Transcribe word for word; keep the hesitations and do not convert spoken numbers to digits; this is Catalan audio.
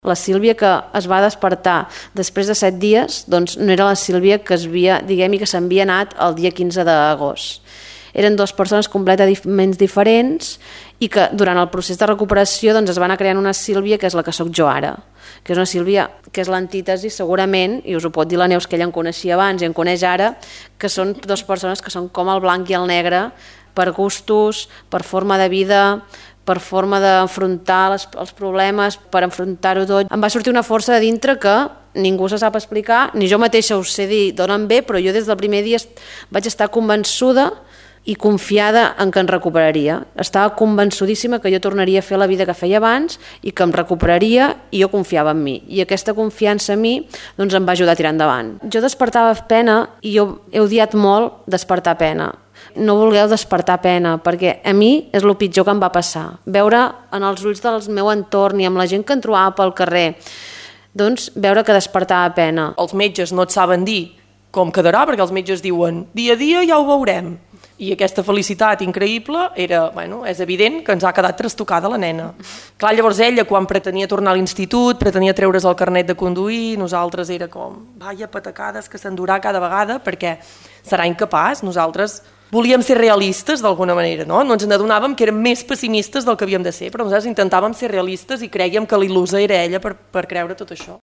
La Sílvia que es va despertar després de set dies doncs no era la Sílvia que es havia, diguem-hi, que s'havia anat el dia quinze d'agost. Eren dues persones completament diferents i que durant el procés de recuperació doncs, es va anar creant una Sílvia que és la que sóc jo ara, que és una Sílvia que és l'antítesi segurament, i us ho pot dir la Neus que ella em coneixia abans i em coneix ara, que són dues persones que són com el blanc i el negre per gustos, per forma de vida, per forma d'enfrontar els problemes, per enfrontar-ho tot. Em va sortir una força de dintre que ningú se sap explicar, ni jo mateixa us sé dir d'on em ve, però jo des del primer dia vaig estar convençuda i confiada en que em recuperaria. Estava convençudíssima que jo tornaria a fer la vida que feia abans i que em recuperaria i jo confiava en mi. I aquesta confiança en mi doncs, em va ajudar a tirar endavant. Jo despertava pena i jo he odiat molt despertar pena. No vulgueu despertar pena, perquè a mi és el pitjor que em va passar. Veure en els ulls del meu entorn i amb la gent que em trobava pel carrer, doncs veure que despertava pena. Els metges no et saben dir com quedarà, perquè els metges diuen dia a dia ja ho veurem. I aquesta felicitat increïble era, bueno, és evident que ens ha quedat trastocada la nena. Clar, llavors ella, quan pretenia tornar a l'institut, pretenia treure's el carnet de conduir, nosaltres era com, vaja, patacades que s'endurà cada vegada, perquè serà incapaç. Nosaltres volíem ser realistes d'alguna manera, no? No ens n'adonàvem que érem més pessimistes del que havíem de ser, però nosaltres intentàvem ser realistes i crèiem que l'il·lusa era ella per, per creure tot això.